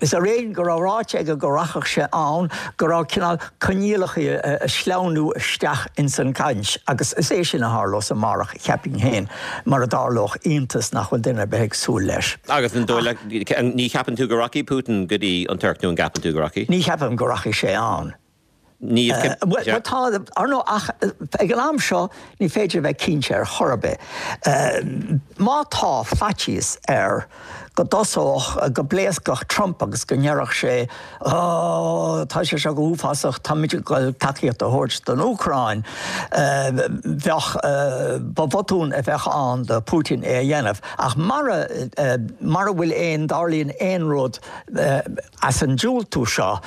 [SPEAKER 7] Is ar éigean go raibh ráite aige go rachadh sé ann, go raibh cineál coinníollacha a sleamhnú isteach ins an gcaint agus is é sin a tharlós amárach, cheapfainn féin, mura dtarlódh iontas nach bhfuil duine ar bith ag súil leis.
[SPEAKER 1] Agus an dóigh leat, ní cheapann tú go rachaidh Putin go dtí an Tuirc nó an gceapann tú go rachaidh?
[SPEAKER 7] Ní cheapaim go rachaidh sé ann.
[SPEAKER 1] Ní.
[SPEAKER 7] Bhuel, tá, ar ndóigh, ach ag an am seo ní féidir a bheith cinnte ar chor ar bith. Má tá faitíos air go dtosódh, go bpléascfadh Trump agus go ndéarfadh sé, Ó, tá sé seo go huafásach, táimid ag dul tacaíocht a thabhairt don Úcráin, bheadh, ba bhotún a bheadh ann do Putin é a dhéanamh. Ach mara, mara bhfuil aon, dtarlaíonn aon rud, As an diúltú seo,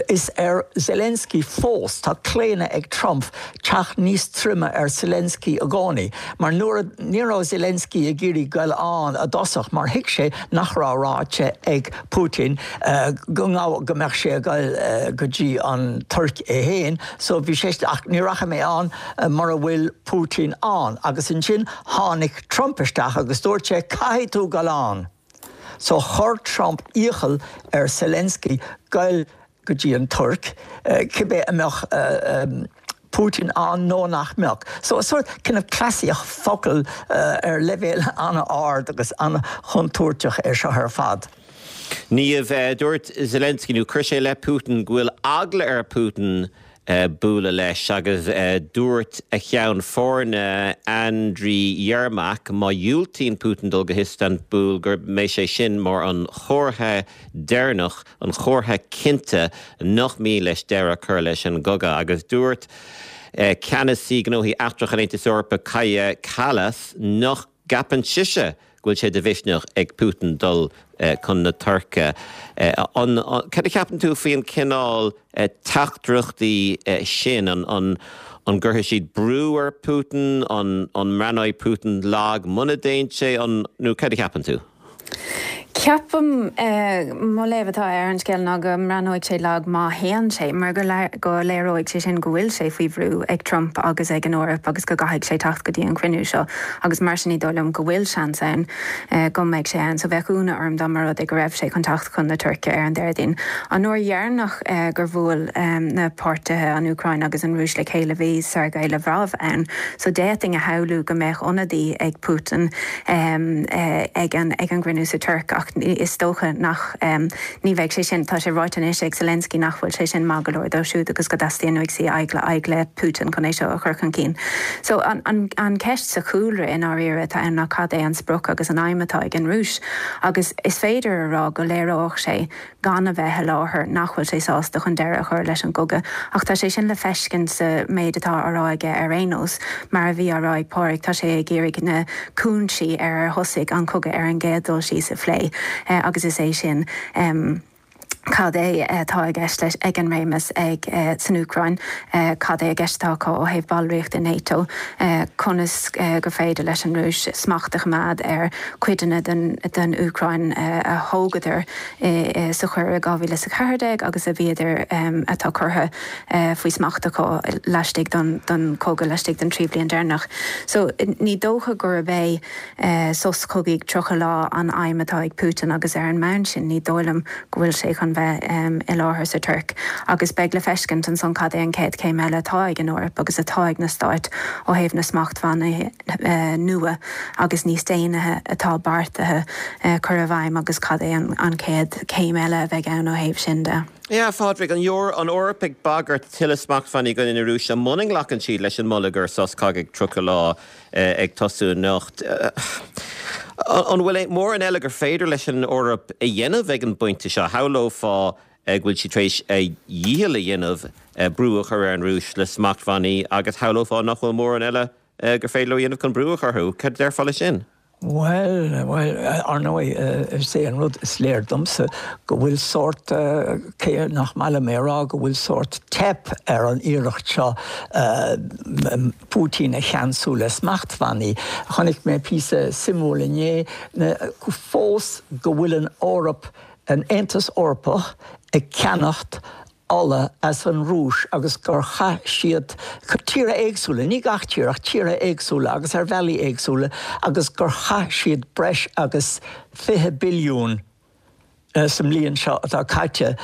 [SPEAKER 7] is ar Zelensky fós, tá claonadh ag Trump teacht níos troime ar Zelensky i gcónaí, mar nuair a, ní raibh Zelensky ag iarraidh goil ann i dtosach mar thuig sé nach raibh ráite ag Putin go ngabh, go mbeadh sé ag goil go dtí an Tuirc é féin, so bhí sé, ach ní rachaidh mé ann mura bhfuil Putin ann. Agus ansin tháinig Trump isteach agus dúirt sé caithfidh tú goil ann! So chuir Trump iachall ar Zelensky goil go dtí an Tuirc, cibé an mbeadh Putin ann nó nach mbeadh. So sórt kind of cleasaíocht focal ar leibhéal an-ard agus an-chontúirteach é seo ar fad.
[SPEAKER 1] Niamh, dúirt Zelensky, nó chuir sé i leith Putin, go bhfuil eagla ar Putin bualadh leis agus dúirt a cheann foirne Andriy Yermak má dhiúltaíonn Putin dul go hIostanbúl go mbeidh sé sin mar an chomhartha deireanach, an chomhartha cinnte nach mian leis deireadh a chur leis an gcogadh. Agus dúirt ceannasaí gnóthaí eachtracha an Aontais Eorpaigh Kaja Kallas nach gceapann sise go bhfuil sé de mhisneach ag Putin dul chun na Tuirce. An, cad a cheapann tú faoi an cineál teachtaireachtaí sin? An, an gcuirfidh siad brú ar Putin? An, an mbreathnóidh Putin lag muna dtéann sé? An, nó cad a cheapann tú?
[SPEAKER 6] Ceapaim, mo léamh atá ar an scéal ná go mbreathnóidh sé lag má théann sé, mar go léireoidh sé sin go bhfuil sé faoi bhrú ag Trump agus ag an Eoraip agus go gcaithfidh sé teacht go dtí an cruinniú seo agus mar sin ní dóigh liom go bhfuil seans ann go mbeidh sé ann. So bheadh ionadh orm dá mba rud é go raibh sé chun teacht chun na Tuirce ar an Déardaoin. An uair dheireanach gur bhuail na páirtithe, an Úcráin agus an Rúis, le chéile bhí Sergei Lavrov ann so d'fhéadfainn a shamhlú go mbeadh ionadaí ag Putin ag an gcruinniú sa Tuirc ach is dócha nach, ní bheidh sé sin, tá sé ráite anois ag Zelensky nach bhfuil sé sin maith go leor dóibh siúd agus go dteastaíonn uaidh suí aghaidh le Putin chun é seo a chur chun cinn. So an cheist sa chúlra i ndáiríre atá ann ná cad é an sprioc agus an aidhm atá ag an Rúis agus is féidir a rá go léireodh sé gan a bheith i láthair, nach bhfuil sé sásta chun deireadh a chur leis an gcogadh. Ach tá sé sin le feiscint sa méid atá á rá aige ar aon nós. Mar a bhí á rá ag Pádraig, tá sé ag iarraidh na cúinsí ar ar thosaigh an cogadh ar an gcéad dul síos a phlé agus is é sin cad é atá i gceist leis ag an réimeas ag san Úcráin, cad é i gceist atá acu ó thaobh ballraíocht i NATO, conas gur féidir leis an Rúis smacht a choimeád ar cuideanna den Úcráin a thógadar. sa choir i 2014 agus a bhíodar atá curtha faoi smacht acu laistigh den chogadh laistigh den 3 bhliain deireanach. So ní dócha gurb é sos cogaidh 30 lá an aidhm atá ag Putin agus ar an mbonn sin ní dóigh liom go bhfuil sé chun. chun bheith i láthair sa Tuirc agus beidh le feiscint ansan cad é an chéad chéim eile atá ag an Eoraip agus atá ag na Stáit ó thaobh na smachtbhannaí nua agus níos déine atá beartaithe cur i bhfeidhm agus cad é an chéad chéim eile a bheidh ann ó thaobh sin de.
[SPEAKER 1] Yeah, a Phádraig, an Eoraip ag bagairt tuilleadh smachtbhannaí i gcoinne na Rúise muna nglacann siad leis an moladh gur sos cogaidh 30 lá ag tosú anocht. An bhfuil mórán eile gur féidir leis an Eoraip a dhéanamh ag an bpointe seo? Shamhlófá go bhfuil siad tar éis a dhícheall a dhéanamh brú a chur ar an Rúis le smachtbhannaí agus shamhlófá nach bhfuil mórán eile gur féidir leo a dhéanamh chun brú a chur orthu. Cad a déarfá leis sin?
[SPEAKER 7] Bhuel, bhuel, ar ndóigh, is é an rud is léir domsa go bhfuil sórt, cé nach maith liom é a rá, go bhfuil sórt teip ar an iarracht seo Putin a cheansú le smachtbhannaí. Chonaic mé píosa suimiúil inné, fós go bhfuil an Eoraip, an Aontas Eorpach ag ceannacht ola as an Rúis agus gur chaith siad, tíortha éagsúla, ní gach tír ach tíortha éagsúla agus ar bhealaí éagsúla, agus gur chaith siad breis agus 20 billiún sa mbliain seo atá caite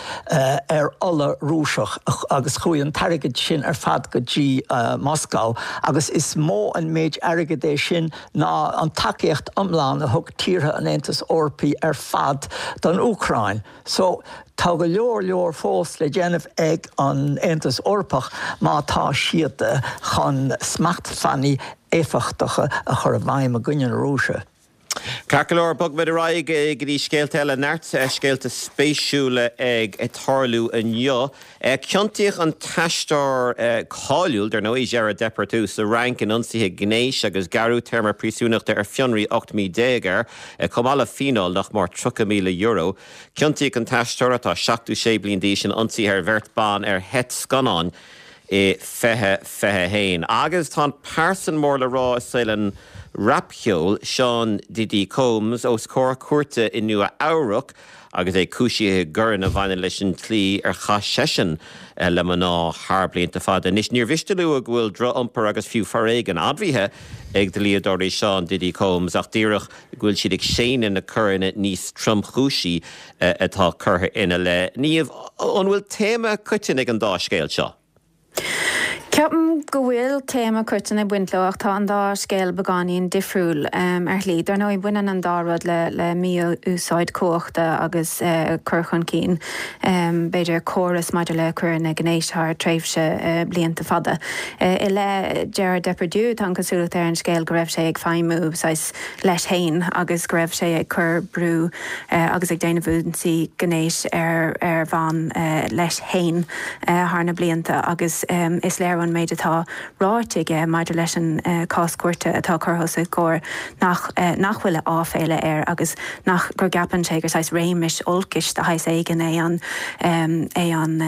[SPEAKER 7] ar ola Rúiseach agus chuaigh an t-airgead sin ar fad go dtí Moscow agus is mó an méid airgid é sin ná an tacaíocht iomlán a thug tíortha an Aontais Eorpaigh ar fad don Úcráin. So, tá go leor leor fós le déanamh ag an Aontas Eorpach má tá siad chun smachtbhannaí éifeachtacha a chur i bhfeidhm i gcoinne na Rúise.
[SPEAKER 1] Ceart go leor, bogfaimid ar aghaidh go dtí scéalta eile. Neart scéalta spéisiúla ag tarlú inniu. Ciontaíodh an t-aisteoir cáiliúil, dar ndóigh, Gérard Depardieu sa Fhrainc in ionsaithe gnéis agus gearradh téarma príosúnachta ar fionraí 18 mí air, chomh maith le fíneáil nach mór €30,000. Ciontaíodh an t-aisteoir, atá 76 bliain d'aois, in ionsaithe ar bheirt ban ar sheit scannáin i 2021. Agus tá an pearsan mór le rá i saol an rapcheoil, Sean Diddy Combs, os comhair cúirte i Nua Eabhrac, agus é cúisithe i gcoireanna a bhaineann leis an tslí ar chaith seisean le mná thar blianta fada. Anois, níor mhiste a lua go bhfuil droch-iompar agus fiú foréigean admhaithe ag dlíodóirí Sean Diddy Combs ach díreach go bhfuil siad ag séanadh na coireanna níos tromchúisí atá curtha ina leith. Niamh, an bhfuil téama coiteann ag an dá scéal seo?
[SPEAKER 6] Ceapaim go bhfuil téama coiteann ag baint leo ach tá an dá scéal beagáinín difriúil ar shlí. Dar ndóigh, baineann an dá rud le mí-úsáid cumhachta agus cur chun cinn, b'fhéidir, córas maidir le coireanna gnéis thar tréimhse blianta fada. I leith Gerard Depardieu, tá an chosúlacht ar an scéal go raibh sé ag feidhmiú saghas leis féin agus go raibh sé ag cur brú agus ag déanamh ionsaí gnéis ar ar bhan leis féin. thar na blianta agus is léir ón méid atá ráite aige maidir leis an cás cúirte atá curtha os a chomhair nach nach bhfuil áiféala air agus nach gur gceapann sé gur saghas réimeas olcais de shaghas éigin é an é an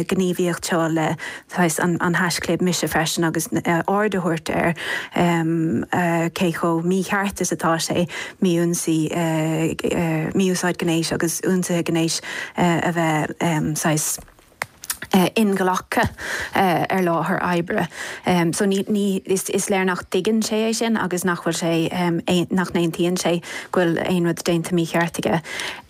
[SPEAKER 6] gníomhaíocht seo le saghas an an haischlib mise freisin agus aird a thabhairt ar cé chomh mícheart is atá sé mí-ionsaí mí-úsáid gnéis agus ionsaithe gnéis a bheith saghas inghlactha ar láthair oibre. So ní, ní, is, is léir nach dtuigeann sé é sin agus nach bhfuil sé, nach n-aontaíonn sé go bhfuil aon rud déanta mícheart aige.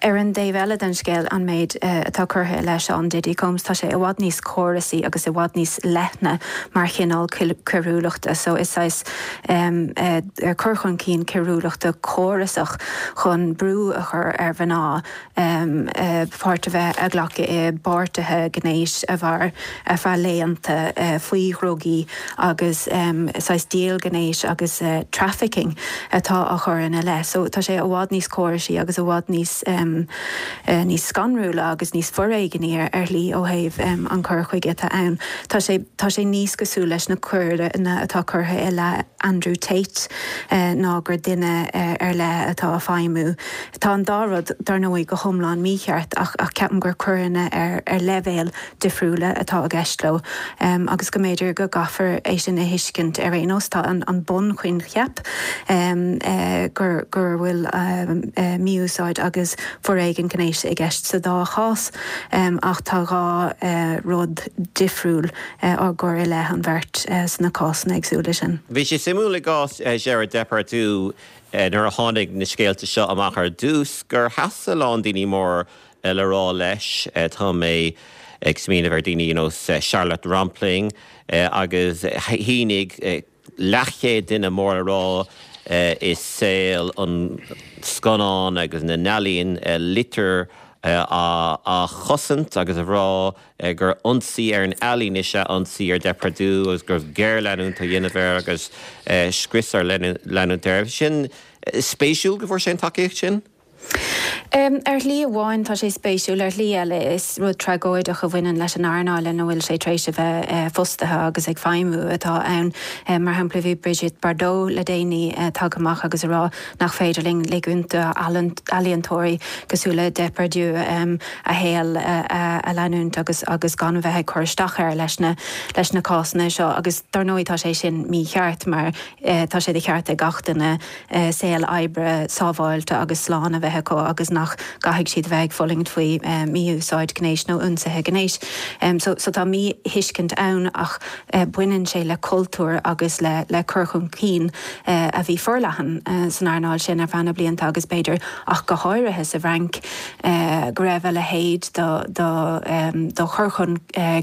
[SPEAKER 6] Ar an dtaobh eile den scéal, an méid atá curtha i leith Sean Diddy Combs, tá sé i bhfad níos córasaí agus i bhfad níos leithne mar chineál coiriúlachta. So is saghas cur chun cinn coiriúlachta córasach chun brú a chur ar mhná páirt a bheith a ghlacadh i bpáirtithe gnéis a mhair ar feadh laethanta faoi dhrugaí agus saghas díol gnéis agus trafficking atá á chur ina leith. So tá sé i bhfad níos córasaí agus i bhfad níos níos scanrúla agus níos foréigní ar shlí ó thaobh an cur chuige atá ann. Tá sé tá sé níos cosúil leis na coireanna atá curtha i leith Andrew Tate ná gur duine ar leith atá á feidhmiú. Tá an dá rud, dar ndóigh, go hiomlán mícheart ach ceapaim gur coireanna ar leibhéil difriúla atá i gceist leo agus go mb'fhéidir go gcaithfear é sin a thuiscint ar aon nós. Tá an bunchoincheap gur go bhfuil mí-úsáid agus foréigean gnéis i gceist sa dá chás ach tá dhá rud difriúil á gcur i leith an bheirt sna cásanna éagsúla sin.
[SPEAKER 1] Bhí sé suimiúil i gcás Gérard Depardieu Nuair a tháinig na scéalta seo amach ar dtús, gur sheas a lán daoine mór le rá leis. Tá mé ag smaoineamh ar daoine ar nós Charlotte Rampling agus shínigh leathchéad duine mór le rá i saol an scannán agus na n-ealaíon litir á chosaint agus a rá gur ionsaí ar an ealaín is ea ionsaí ar Depardieu agus go raibh géarleanúint á dhéanamh air agus scrios á leanúint air. Sin spéisiúil go bhfuair sé an tacaíocht sin.
[SPEAKER 6] Ar shlí amháin tá sé spéisiúil, ar shlí eile is rud tragóideach a bhaineann leis an earnáil ina bhfuil sé tar éis a bheith fostaithe agus ag feidhmiú atá ann. Mar shampla bhí Brigitte Bardot le déanaí tagtha amach agus a rá nach féidir linn ligean d'ealaíontóirí cosúil le Depardieu a shaol a leanúint agus agus gan a bheith ag cur isteach air leis na leis na cásanna seo agus dar ndóigh tá sé sin mícheart mar tá sé de cheart ag gach duine saol oibre sábháilte agus slán a bheith acu agus nach gcaithfidh siad a bheith ag fulaingt faoi mhí-úsáid gnéis nó ionsaithe gnéis. So so tá míthuiscint ann ach baineann sé le cultúr agus le le cur chun cinn a bhí forleathan san earnáil sin ar feadh na blianta agus b'fhéidir ach go háirithe sa bhFrainc go raibh a leithéid de chur chun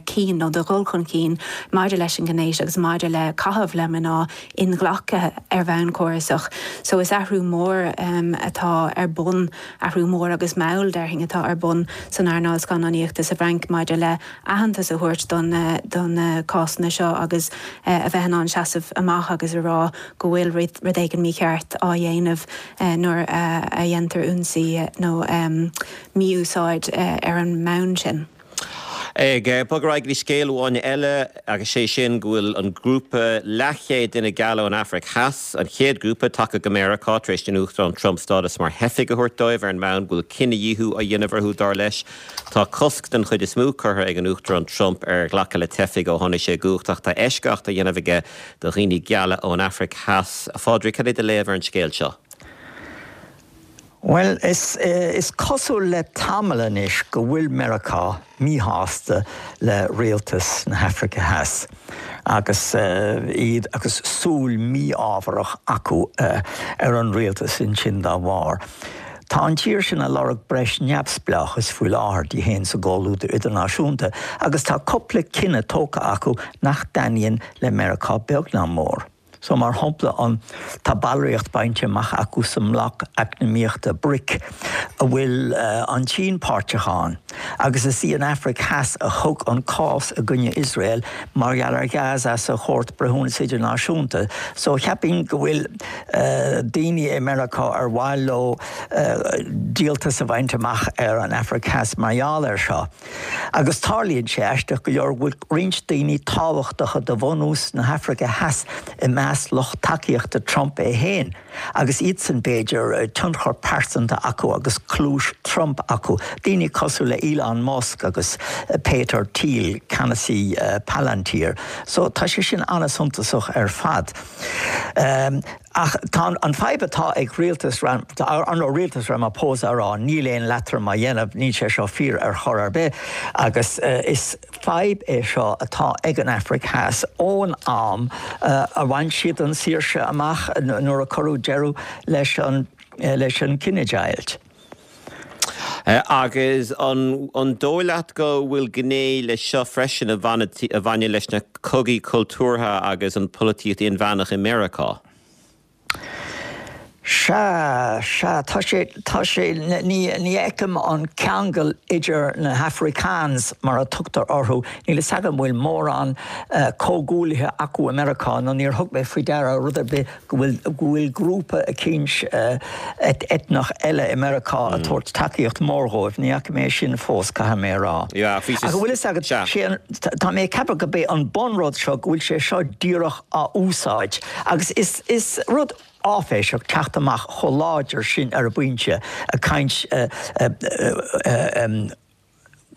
[SPEAKER 6] cinn nó de dhul chun cinn maidir leis an ngnéas agus maidir le caitheamh le mná inghlactha ar bhonn córasach. So is athrú mór atá ar bun, athrú mór agus mall, déarfainn, atá ar bun san earnáil scannánaíochta sa bhFrainc maidir le aitheantas a thabhairt do na cásanna seo agus a bheith in ann seasamh amach agus a rá go bhfuil rud éigin mícheart á dhéanamh nuair a dhéantar ionsaí nó mí-úsáid ar an mbonn sin.
[SPEAKER 1] Ag bogadh ar aghaidh go dtí scéal amháin eile agus sé sin go bhfuil an grúpa leathchéad duine geal ón Afraic Theas, an chéad ghrúpa tagtha go Meiriceá tar éis don Uachtarán Trump stádas mar theifigh a thabhairt dóibh ar an mbonn go bhfuil cinedhíothú á dhéanamh orthu dar leis. Tá cosc den chuid is mó curtha ag an Uachtarán Trump ar ghlacadh le teifigh ó tháinig sé i gcumhacht ach tá eisceacht á dhéanamh aige do dhaoine geala ón Afraic Theas. A Phádraig, cad é do léamh ar an scéal seo?
[SPEAKER 7] Bhuel, is cosúil le tamall anois go bhfuil Meiriceá míshásta le rialtas na hAfraice Theas agus iad agus súil mhífhábharach acu ar an rialtas ansin dá bharr. Tá an tír sin ag lorg breis neamhspleáchais faoi láthair di féin sa gcomhluadar idirnáisiúnta agus tá cúpla cinneadh tógtha acu nach dtaitníonn le Meiriceá beag ná mór. So, mar shampla, an, tá ballraíocht bainte amach acu sa mbloc eacnamaíochta bric, a bhfuil an tSín páirteach ann, agus is í an Afraic Theas a thug an cás i gcoinne Iosrael mar gheall ar Ghaza sa Chúirt Breithiúnas Idirnáisiúnta. So, cheapfainn go bhfuil daoine i Meiriceá ar mhaith leo díoltas a bhaint amach ar an Afraic Theas mar gheall air seo. Agus tarlaíonn sé, aisteach go leor, go bhfuil roinnt daoine tábhachtacha de bhunús na hAfraice Theas i measc lucht tacaíochta Trump é féin, agus iadsan, b'fhéidir, tionchar pearsanta acu agus cluais Trump acu, daoine cosúil le Elon Musk agus Peter Thiel, ceannasaí Palantir. So, tá sé sin an-suntasach ar fad. Ach tá an fadhb atá ag rialtas ar ndóigh rialtas Ramaphosa a rá níl aon leatrom á dhéanamh, níl sé seo fíor ar chor ar bith agus is fadhb é seo atá ag an Afraic Theas ón am a bhain siad an saoirse amach nuair a cuireadh deireadh leis an leis an cinedheighilt.
[SPEAKER 1] Agus an dóigh leat go bhfuil gné leis seo freisin a bhaineann leis na cogaí cultúrtha agus an pholaitíocht inmheánach i Meiriceá?
[SPEAKER 7] Sea, sea, tá sé, tá sé, ní, ní fheicim an ceangal idir na hAfrikaans, mar a tugtar orthu, níl fhios agam an bhfuil mórán comhghuaillithe acu i Meiriceá nó níor thug mé faoi deara rud ar bith go bhfuil go bhfuil grúpa eicínt eitneach eile i Meiriceá ag tabhairt tacaíocht mhór dhóibh. Ní fhaca mé sin fós, caithfidh mé a rá.
[SPEAKER 1] Ach an
[SPEAKER 7] bhfuil fhios agat, sé an, tá mé ag ceapadh go b'é an bunrud seo go bhfuil sé seo díreach á úsáid agus is, is rud áiféiseach teacht amach chomh láidir sin ar an bpointe, ag caint,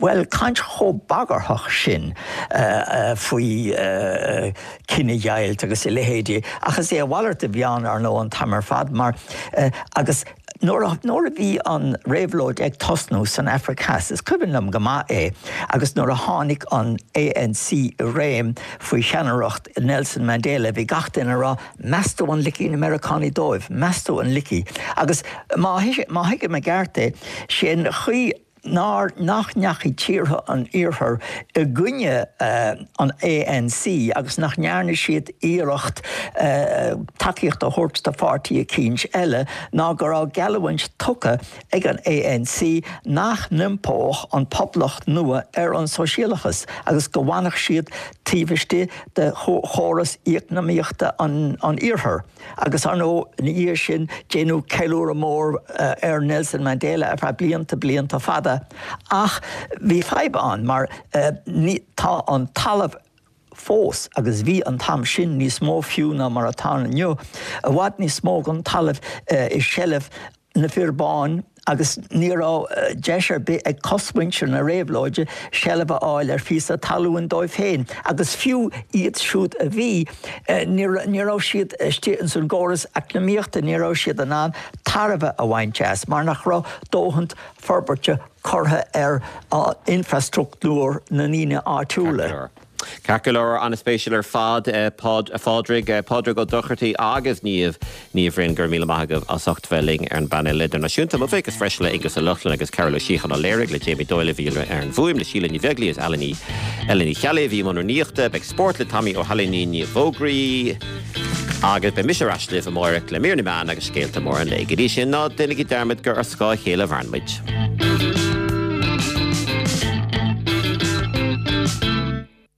[SPEAKER 7] bhuel, caint chomh bagarthach sin faoi chinedheighilt agus a leithéidí, ach is é a mhalairt a bhí ann, ar ndóigh, an t-am ar fad, mar, agus nuair a, nuair a bhí an réabhlóid ag tosnú san Afraic Theas, is cuimhin liom go maith é, agus nuair a tháinig an ANC i réim faoi cheannaireacht Nelson Mandela, bhí gach duine ag rá, meas tú an ligfidh na Meiriceánaigh dóibh, meas tú an ligfidh? Agus má, má thuigim i gceart é, sé an chaoi. nár, nach ndeachaigh tíortha an Iarthair i gcoinne an ANC agus nach ndearna siad iarracht tacaíocht a thabhairt do pháirtí eicínt eile ná go raibh geallúint tugtha ag an ANC nach n-iompódh an poblacht nua ar an sóisialachas agus go bhfanfadh siad taobh istigh de chóras eacnamaíochta an Iarthair. Agus ar ndóigh, ina dhiaidh sin, déanadh ceiliúradh mór ar Nelson Mandela ar feadh blianta, blianta fada. Ach bhí fadhb ann mar tá an talamh fós, agus bhí an t-am sin níos mó fiú ná mar atá inniu, i bhfad níos mó den talamh i seilbh na bhfir bán agus ní raibh deis ar bith ag cosmhuintir na réabhlóide seilbh a fháil ar phíosa talún dóibh féin agus fiú iad siúd a bhí, ní raibh siad istigh ins an gcóras eacnamaíochta, ní raibh siad in ann tairbhe a bhaint as mar nach raibh dóthaint forbairte curtha ar infreastruchtúr na ndaoine áitiúla.
[SPEAKER 1] Ceart go leor, an-spéisiúil ar fad, a Phádraig, Pádraig Ó Dochartaigh agus Niamh Ní Bhroin, go raibh míle maith agaibh as ucht bheith linn ar an bpainéal idirnáisiúnta. Mo bhuíochas freisin le Aonghus Ó Lochlainn agus Cearbhall Ó Síocháin Ó Léirigh, le Jamie Doyle a bhí ar an bhfuaim, le Síle Ní Bheaglaoí agus Ellen Ní Ellen Ní Cheallaigh a bhí i mbun rúnaíochta. Beidh spórt le Tommy Ó hAinlín i bhfógraí agus beidh mise ar ais libh amáireach le mír na meán agus scéalta móra an lae. Go dtí sin, ná déanaigí dearmad gur ar scáth a chéile a mhaireann muid.